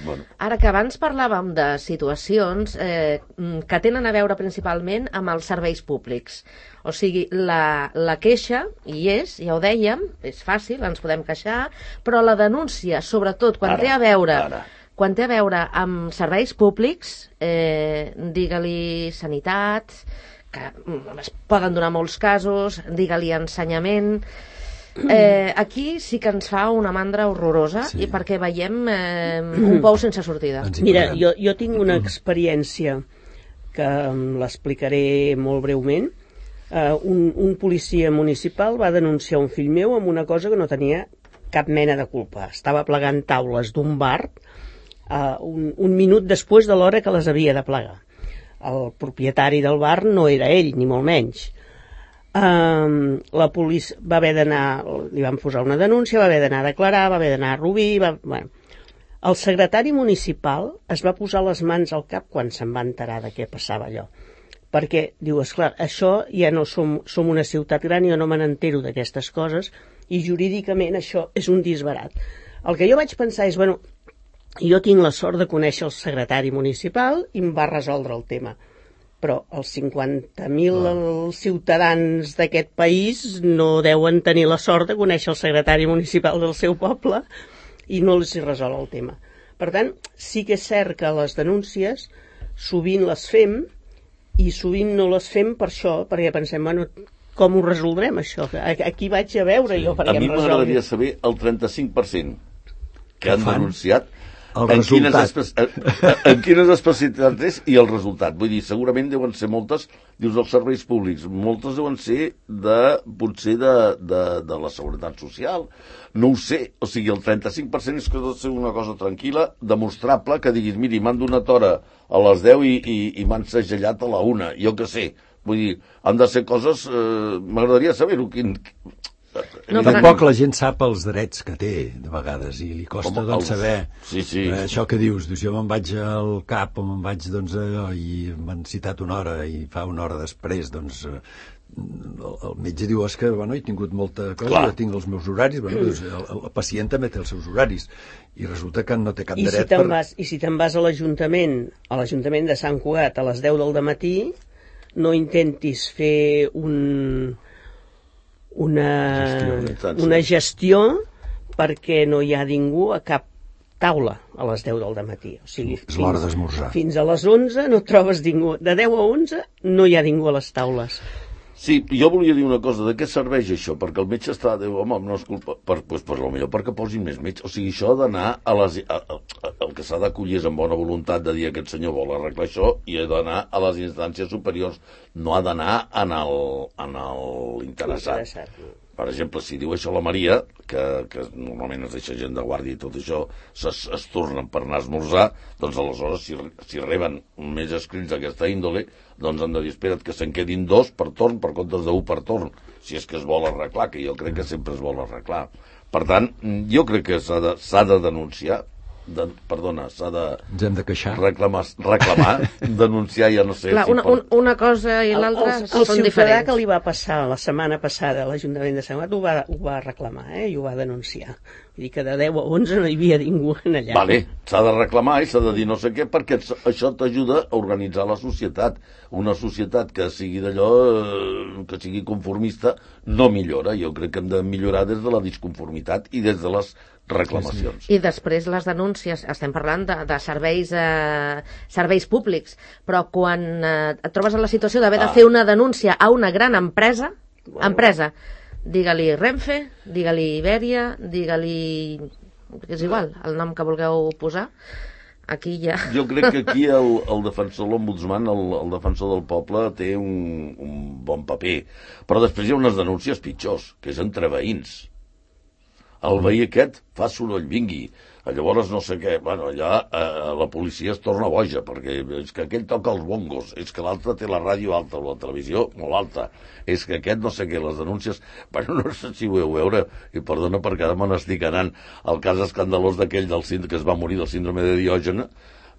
Bueno. Ara que abans parlàvem de situacions eh, que tenen a veure principalment amb els serveis públics. O sigui, la, la queixa hi és, ja ho dèiem, és fàcil, ens podem queixar, però la denúncia, sobretot quan Ara, té a veure... ara. Quan té a veure amb serveis públics, eh, digue-li sanitat, que mm, es poden donar molts casos, digue-li ensenyament... Eh, aquí sí que ens fa una mandra horrorosa, Sí. i perquè veiem eh, un pou sense sortida. Ens hi Mira, posem. jo, jo tinc una experiència que em l'explicaré molt breument. Uh, un, un policia municipal va denunciar un fill meu amb una cosa que no tenia cap mena de culpa. Estava plegant taules d'un bar uh, un, un minut després de l'hora que les havia de plegar. El propietari del bar no era ell, ni molt menys. Uh, la policia va haver d'anar, li van posar una denúncia, va haver d'anar a declarar, va haver d'anar a Rubí, va... Bueno, el secretari municipal es va posar les mans al cap quan se'n va enterar de què passava allò. Perquè, diu, esclar, això ja no som, som una ciutat gran, jo no me n'entero d'aquestes coses, i jurídicament això és un disbarat. El que jo vaig pensar és, bueno, jo tinc la sort de conèixer el secretari municipal i em va resoldre el tema. Però els cinquanta mil ciutadans d'aquest país no deuen tenir la sort de conèixer el secretari municipal del seu poble i no els hi resol el tema. Per tant, sí que és cert que les denúncies sovint les fem i sovint no les fem per això, perquè pensem, bueno, com ho resoldrem això? Aquí vaig a veure sí. jo perquè A mi em resolgui. m'agradaria saber el trenta-cinc per cent que, que han fan denunciat el en quines, resultat. espe en quines especialitats és i el resultat. Vull dir, segurament deuen ser moltes, dius, dels serveis públics, moltes deuen ser de, potser de, de, de la seguretat social, no ho sé, o sigui, el trenta-cinc per cent és que ha de ser una cosa tranquil·la, demostrable, que diguis, miri, m'han donat hora a les deu i, i, i m'han segellat a la una, jo què sé, vull dir, han de ser coses, eh, m'agradaria saber-ho, quin... No, No, però- tampoc la gent sap els drets que té, de vegades, i li costa Com doncs, els- saber Sí, sí. eh, això que dius. Dius, jo me'n vaig al cap o me'n vaig doncs, allò, i m'han citat una hora i fa una hora després doncs, eh, el, el metge diu és que bueno, he tingut molta cosa, Clar. jo tinc els meus horaris, bueno, doncs, el, el pacient també té els seus horaris i resulta que no té cap I si dret te'n per... vas, i si te'n vas a l'Ajuntament, a l'Ajuntament de Sant Cugat a les deu del dematí, no intentis fer un, una, Gestió, una gestió perquè no hi ha ningú a cap taula a les deu del dematí. O sigui, És l'hora d'esmorzar. Fins a les onze no trobes ningú. De deu a onze no hi ha ningú a les taules. Sí, jo volia dir una cosa, de què serveix això? Perquè el metge està, diu, home, no és culpa, per, pues, per lo millor perquè posin més metge. O sigui, això ha d'anar a les... A, a, a, el que s'ha d'acollir és amb bona voluntat de dir aquest senyor vol arreglar això i ha d'anar a les instàncies superiors, no ha d'anar en el, en el interessat. Interessat. Per exemple, si diu això la Maria, que, que normalment es deixa gent de guàrdia i tot això, es, es tornen per anar a esmorzar, doncs aleshores, si, si reben més escrits d'aquesta índole, doncs han de dir, espera't que se'n quedin dos per torn, per comptes d'un per torn, si és que es vol arreglar, que jo crec que sempre es vol arreglar. Per tant, jo crec que s'ha de, s'ha de denunciar, de, perdona, s'ha de Ens hem de queixar. reclamar, reclamar denunciar, ja no sé... Clar, si una, per... un, una cosa i l'altra el, el, el són ciutadà diferents. que li va passar la setmana passada a l'Ajuntament de Sant Cugat ho va, ho va reclamar, eh, i ho va denunciar. Vull dir que de deu a onze no hi havia ningú en allà. Vale, s'ha de reclamar i s'ha de dir no sé què, perquè això t'ajuda a organitzar la societat. Una societat que sigui d'allò, eh, que sigui conformista, no millora. Jo crec que hem de millorar des de la disconformitat i des de les reclamacions. I després les denúncies, estem parlant de, de serveis, eh, serveis públics, però quan eh, et trobes en la situació d'haver Ah. de fer una denúncia a una gran empresa, empresa, digue-li Renfe, digue-li Iberia, digue-li... és igual, el nom que vulgueu posar, aquí ja... Jo crec que aquí el, el defensor, l'ombudsman, el, el defensor del poble, té un, un bon paper. Però després hi ha unes denúncies pitjors, que és entre veïns. El veí aquest fa soroll, vingui. Llavors no sé què, bueno, allà eh, la policia es torna boja, perquè és que aquell toca els bongos, és que l'altre té la ràdio alta o la televisió molt alta, és que aquest no sé què, les denúncies... Bueno, no sé si ho heu veure, i perdona perquè ara me n'estic anant, el cas escandalós d'aquell del sínd- que es va morir del síndrome de Diògena,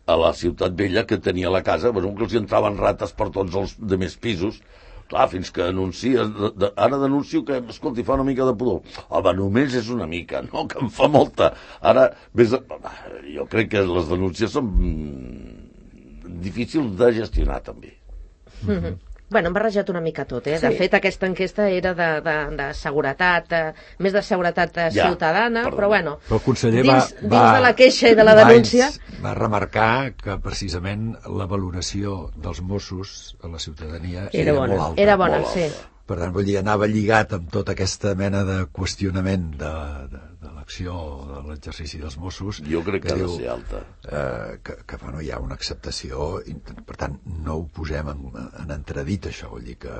a la Ciutat Vella, que tenia la casa, bueno, que els hi entraven rates per tots els de més pisos. Clar, fins que anuncies... De, de, ara denuncio que, escolti, fa una mica de pudor. Home, només és una mica, no, que en fa molta. Ara, vés a... jo crec que les denúncies són mm, difícils de gestionar, també. Mm-hmm. Bueno, hem barrejat una mica tot, eh? De Sí. fet, aquesta enquesta era de, de, de seguretat, eh, més de seguretat eh, Ja, ciutadana, perdó. però bueno, Però el conseller dins, va, dins va, de la queixa i de la va denúncia... ins- va remarcar que precisament la valoració dels Mossos a la ciutadania Era era, bona. molt alta. Era bona, Molt sí. alta. Per tant, vull dir, anava lligat amb tota aquesta mena de qüestionament de, de, de l'acció, de l'exercici dels Mossos. Jo crec que ha de diu, ser alta. Eh, que, que bueno, hi ha una acceptació, i, per tant, no ho posem en, en entredit, això, vull dir que...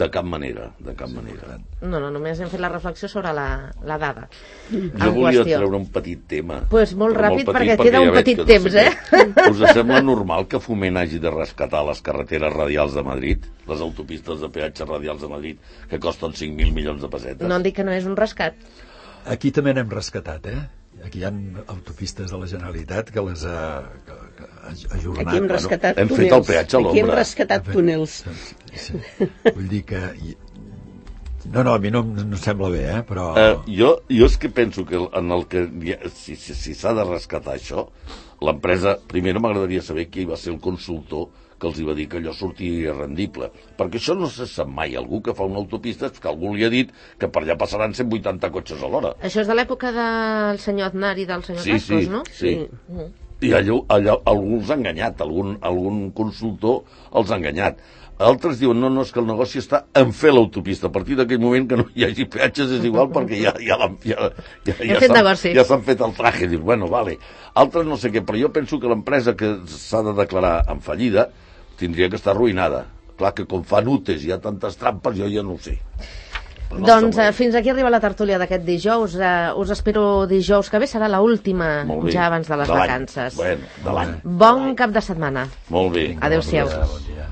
De cap manera, de cap manera. No, no, només hem fet la reflexió sobre la, la dada. Jo en volia qüestió. treure un petit tema. Pues molt Però ràpid, perquè queda ja un veig petit que no temps, sé eh? què. Us sembla normal que Foment hagi de rescatar les carreteres radials de Madrid, les autopistes de peatge radials de Madrid, que costen cinc mil milions de pessetes? No em dic que no és un rescat. Aquí també n'hem rescatat, eh? Aquí hi ha autopistes de la Generalitat que les ha, que, que ha ajornat. Aquí hem Bueno, rescatat hem fet túnels. el peatge a Aquí hem l'ombra. rescatat túnels. Sí. Vull dir que... No, no, a mi no, no em sembla bé, eh? Però... Eh, jo, jo és que penso que en el que si s'ha si, si de rescatar això, l'empresa, primer m'agradaria saber qui va ser el consultor que els hi va dir que allò sortia rendible, perquè això no se sap mai. Algú que fa una autopista és que algú li ha dit que per allà passaran cent vuitanta cotxes a l'hora. Això és de l'època del senyor Aznar i del senyor Sí, Cascos, sí, no? sí. Mm. I allò, allò, algú els ha enganyat, algun, algun consultor els ha enganyat. Altres diuen, no, no, és que el negoci està en fer l'autopista. A partir d'aquell moment que no hi hagi peatges és igual perquè ja, ja, ja, ja, ja, Hem ja fet s'han- negoci. ja s'han fet el traje. Dius, bueno, vale. Altres no sé què, però jo penso que l'empresa que s'ha de declarar en fallida tindria que estar arruïnada. Clar que com fan U T Es i hi ha tantes trampes, jo ja no ho sé. Però no Doncs està eh, molt fins aquí arriba la tertúlia d'aquest dijous. Eh, us espero dijous que ve, serà l'última Molt bé. ja abans de les De l'any. vacances. Bueno, de l'any. Bon cap de setmana. Molt bé. Adéu-siau. Bon dia, bon dia.